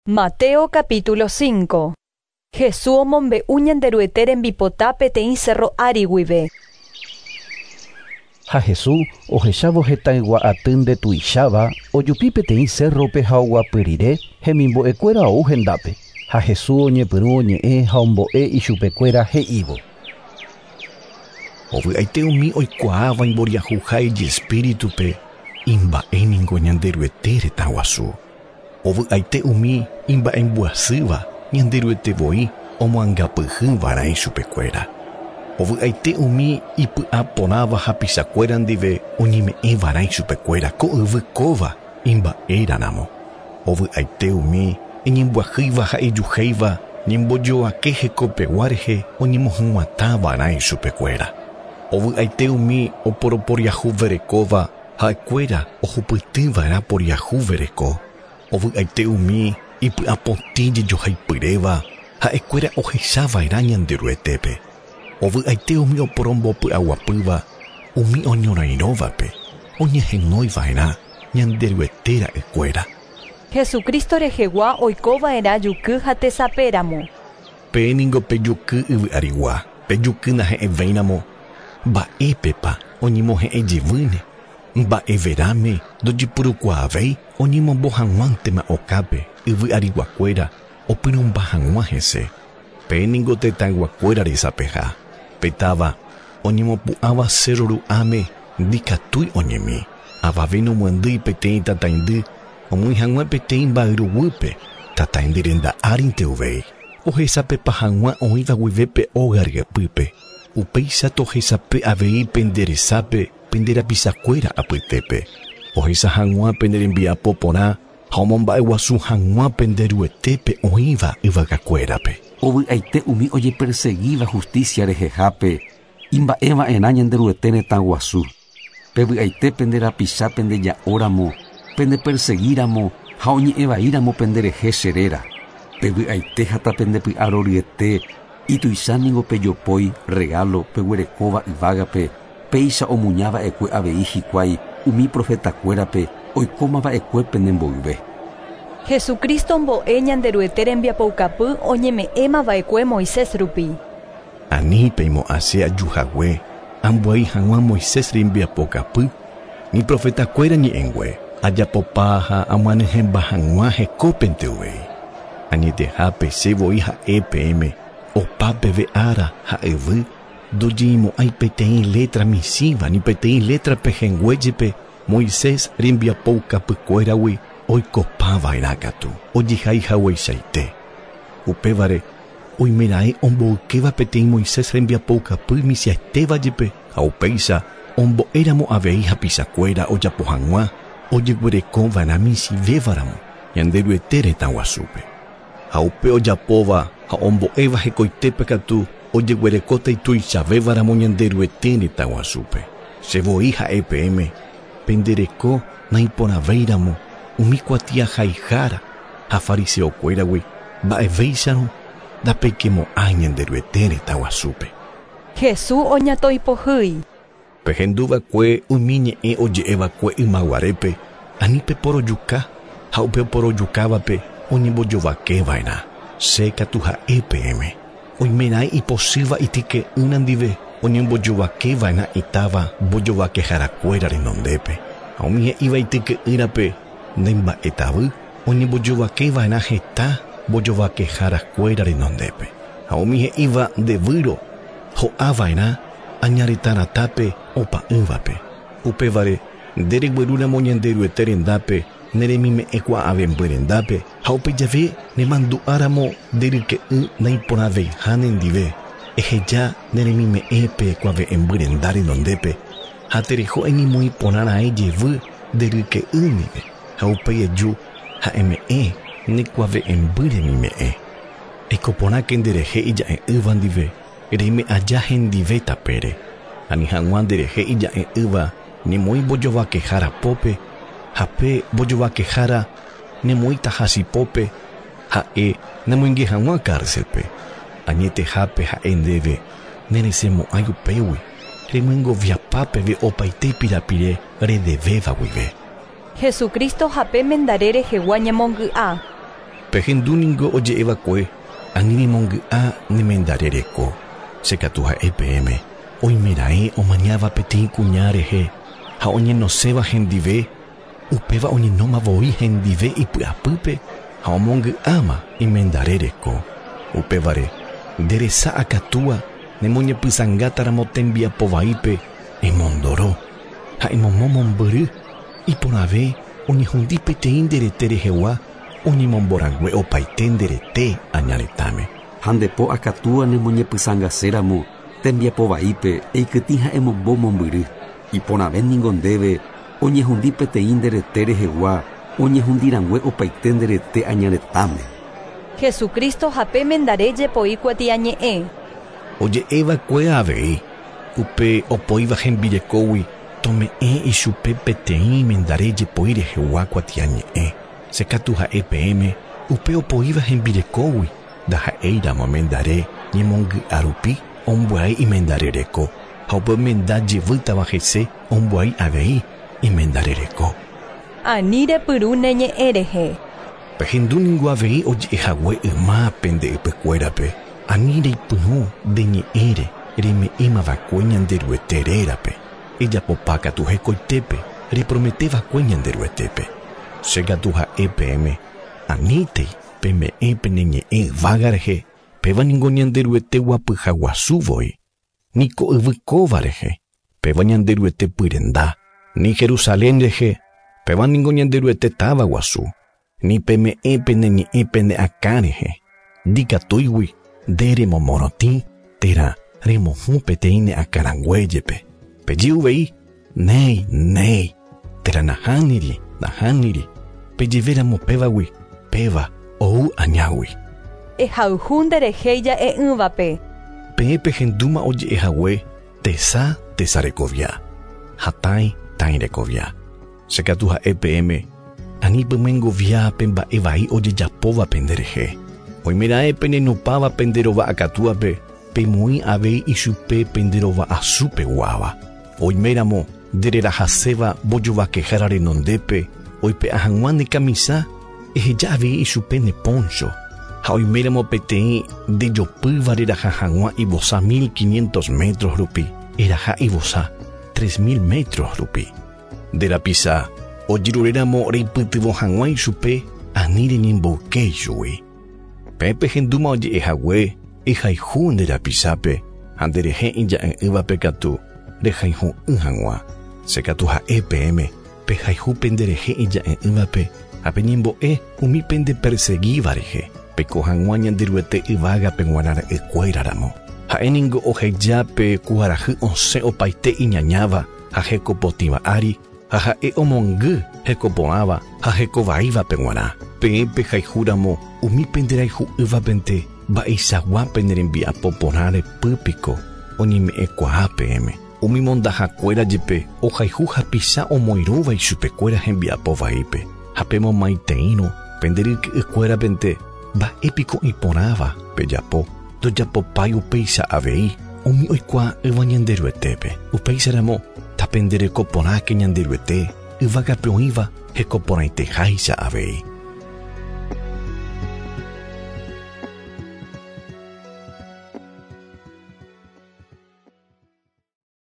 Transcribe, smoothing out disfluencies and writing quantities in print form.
Mateo capítulo 5. Jesús omombe'u Ñanderuete rembipota peteĩ cerro ári guive. Ha Jesús ohechávo hetãygua aty ndetuicháva ojupi peteĩ cérrope ha oguapy rire hemimbo'ekuéra ou hendápe. Ha Jesús oñepyrũ oñe'ẽ ha ombo'e ichupekuéra he'ívo. Ovy'aite umi oikuaáva imboriahuha ijespíritupe imba'éningo Ñanderuete retã guasu. Ovy'aite umi imba'embyasýva Ñanderuete voi omoangapyhyva'erã ichupekuéra. Ovy'aite umi ipy'aporãva hapichakuéra ndive oñeme'ẽva'erã ichupekuéra ko yvy kóva imba'éraramo. Ovy'aite umi iñembyahýiva ha ijuhéiva ñembojoake hekopegua rehe oñemohyg̃uatãva'erã ichupekuéra. Ovy'aite umi oporoporiahuverekóva ha'ekuéra ohupytýva'erã poriahuvereko. Ovy'aite umi ipy'apotĩ jejohaipyréva ha'ekuéra ohechava'erã Ñanderuetépe. Ovy'aite umi oporombopy'aguapýva umi oñorairõvape oñehenóiva'erã Ñanderuete ra'ykuéra. Jesucristo rehegua oikova'erã juky ha tesapéramo. Peẽ ningo pejuky yvy arigua, pejuky nahe'ẽvéiramo, mba'épepa oñemohe'ẽjevýne, mba'everáme ndojepurukuaavéi oñemombo hag̃uántema okápe yvy ariguakuéra opyrũmba hag̃ua hese. Peẽ ningo tetãyguakuéra resapeha, pe táva oñemopu'ãva cerro ru'ãme ndikatúi oñemi, avave nomyandýi peteĩ tataindy omýi hag̃ua peteĩ mba'yruguýpe, tataindy renda árinte uvei, ohesapepa hag̃ua oĩva guive pe óga ryepýpe. Upéicha tohesape avei pende resápe pende rapichakuéra apytépe, ohecha hag̃ua pene rembiapo porã ha omomba'eguasu hag̃ua pende Ruetépe oĩva yvagakuérape. Ovy'aite umi ojepersegíva justicia rehehápe imba'eva'erã Ñanderuete retã guasu. Pevy'aite pende rapicha pendeja'óramo, pendepersegíramo ha oñe'ẽvaíramo penderehe che réra. Pevy'aite ha tapendepy'aroryete ituicha ningo pejopói regalo peguerekóva yvágape péicha omuñava'ekue avei hikuái umi profetakuérape oikómava'ekue penemboyve. Jesucristo mbo'e Ñanderuete rembiapoukapy oñeme'ẽmava'ekue Moisés rupi. Ani peimo'ã che ajuhague ambyai hag̃ua Moisés rembiapokapy ni profetakuéra ñe'ẽngue ajapopa ha amyanyhẽmba hag̃ua hekópente uvei. Añetehápe che voi ha'e peẽme opa peve ára ha yvy ndojeimo'ãi peteĩ letra michĩva ni peteĩ letra pehẽnguéjepe Moisés rembiapoukapykuéragui oikopava'erã katu ojehaihagueichaite. Upévare oimeraẽ omboykéva peteĩ Moisés rembiapoukapy michĩetévajepe ha upéicha ombo'éramo avei hapichakuéra ojapo hag̃ua ojeguerekova'erã michĩvévaramo Ñanderuete retã guasúpe. Ha upe ojapóva ha ombo'éva hekoitépe katu ojeguerekóta ituichavévaramo Ñanderuete retã guasúpe. Che voi ha'e peẽme pendereko naiporãvéiramo umi kuatiahaihára ha fariseokuéragui mba'evéicharõ ndapeikemo'ãi Ñanderuete retã guasúpe. Jesús oñatoipohýi. Pehenduva'ekue umi ñe'ẽ oje'eva'ekue ymaguarépe ani peporojuka ha upe oporojukávape oñembojovakeva'erã. Che katu ha'e peẽme. Oimeraẽ ipochýva ityke'ýra ndive oñembojovakeva'erã itáva mbojovakeharakuéra renondépe. Ha umi he'íva ityke'ýrape nemba'etavy oñembojovakeva'erã heta mbojovakeharakuéra renondépe. Ha umi he'íva ndevýro ho'ava'erã añaretãratápe opa'ỹvape. Upévare ndereguerúramo Ñanderuete rendápe neremime'ẽkuaavemby rendápe ha upe jave nemandu'áramo nderyke'y naiporãveiha nendive eheja neremime'ẽpe kuave'ẽmby renda renondépe ha tereho eñemoĩporãraẽ jevy nderyke'y ndive ha upéi eju ha eme'ẽ nekuave'ẽmby remime'ẽ. Eikoporãke nderehe ija'e'ỹva ndive reime aja hendive tapére. Ani hag̃ua nderehe ija'e'ỹva nemoĩ mbojovakehára pópe ha pe mbojovakehára nemoĩta hasipópe ha'e nemoinge hag̃ua cárcelpe. Añetehápe ha'e ndéve neresẽmo'ãi upégui remyengoviapa peve opaite pirapire redevéva guive. Jesucristo hape mendare rehegua ñemongy'a. Pehendu ningo oje'eva'ekue ani remongy'a ne mendare reko. Che katu ha'e peẽme, oimeraẽ omañáva peteĩ kuña rehe ha oñenoséva hendive, upéva oñenóma voi hendive ipy'apýpe ha omongy'áma imendare reko. Upévare, nde resa akatúa nemoñepysãngátaramo tembiapo vaípe emondoro ha emomo mombyry iporãve oñehundi peteĩ nde rete rehegua oñemomborangue opaite nde rete aña retãme. Ha nde po akatúa nemoñepysãngaséramo tembiapo vaípe eikytĩ ha emombo mombyry. Iporãve ningo ndéve oñehundi peteĩ nde rete rehegua oñehundirangue opaite nde rete aña retãme. Jesucristo hape mendare jepoi kuatiañe'ẽ. Oje'eva'ekue avei upe opoíva hembirekógui tome'ẽ ichupe peteĩ mendare jepoi rehegua kuatiañe'ẽ. Che katu ha'e peẽme upe opoíva hembirekógui ndaha'éiramo mendare ñemongy'a rupi ombyai imendare reko ha upe omenda jevýtava hese ombyai avei imendare reko. Ani repyrũ ne ñe'ẽ rehe. Pehendu ningo avei oje'ehague yma pende ypykuérape ani reipyrũ nde ñe'ẽre reme'ẽmava'ekue Ñanderuete rérape. Ejapopa katu hekoitépe reprometeva'ekue Ñanderuetépe. Che katu ha'e peẽme anítei peme'ẽ pene ñe'ẽ yvága rehe péva ningo Ñanderuete guapyha guasu voi. Niko yvy kóva rehe péva Ñanderuete pyrenda. Ni Jerusalén rehe péva ningo Ñanderuete táva guasu. Ni peme'ẽ pene ñe'ẽ pene akã rehe. Ndikatúigui nde remomorotĩ térã remohũ peteĩ ne akãrangue jepe. Peje uvei néi néi térã nahániri nahániri pejevéramo pévagui péva ou añágui. Ehayhu nderehe ija'e'ỹvape. Peẽ pehendúma oje'ehague tesa tesa rekovia ha tãi tãi rekovia. Che katu ha'e peẽme ani pemyengovia pe mba'e vai ojejapóva penderehe. Oimeraẽ penenupãva penderova akatúape pemoĩ avei ichupe penderova asúpeguáva. Oiméramo ndererahaséva mbojovakehára renondépe oipe'a hag̃ua ne kamisa eheja avei ichupe ne poncho. Ha oiméramo peteĩ ndejopýva reraha hag̃ua ivosa 1500 metros rupi eraha ivosa 3000 metros rupi. Nde rapisa ojeruréramo reipytyvõ hag̃ua ichupe ani reñemboyke ichugui. Peẽ pehendúma oje'ehague ehayhu nde rapisápe ha nderehe ija'e'ỹvape katu rehayhu'ỹ hag̃ua. Che katu ha'e peẽme pehayhu penderehe ija'e'ỹvape ha peñembo'e umi pendeperseguíva rehe peko hag̃ua Ñanderuete yvágape g̃uarã ra'ykuéraramo. Ha'e ningo oheja pe kuarahy osẽ opaite iñañáva ha hekopotĩva ári ha ha'e omongy hekoporãva ha hekovaívape g̃uarã. Peẽ pehayhúramo umi penderayhu'ỹvapente mba'eichagua penerembiapo porã repýpiko oñeme'ẽkuaa peẽme. Umi mondahakuéra jepe ohayhu hapicha omoirũva ichupekuéra hembiapo vaípe. Ha pemomaiteĩrõ penderyke'ykuérapente mba'épiko iporãva pejapo ndojapopái upéicha avei umi oikuaa'ỹva Ñanderuetépe. Upéicharamo tapenderekoporãke Ñanderuete yvágape oĩva hekoporãiteháicha avei.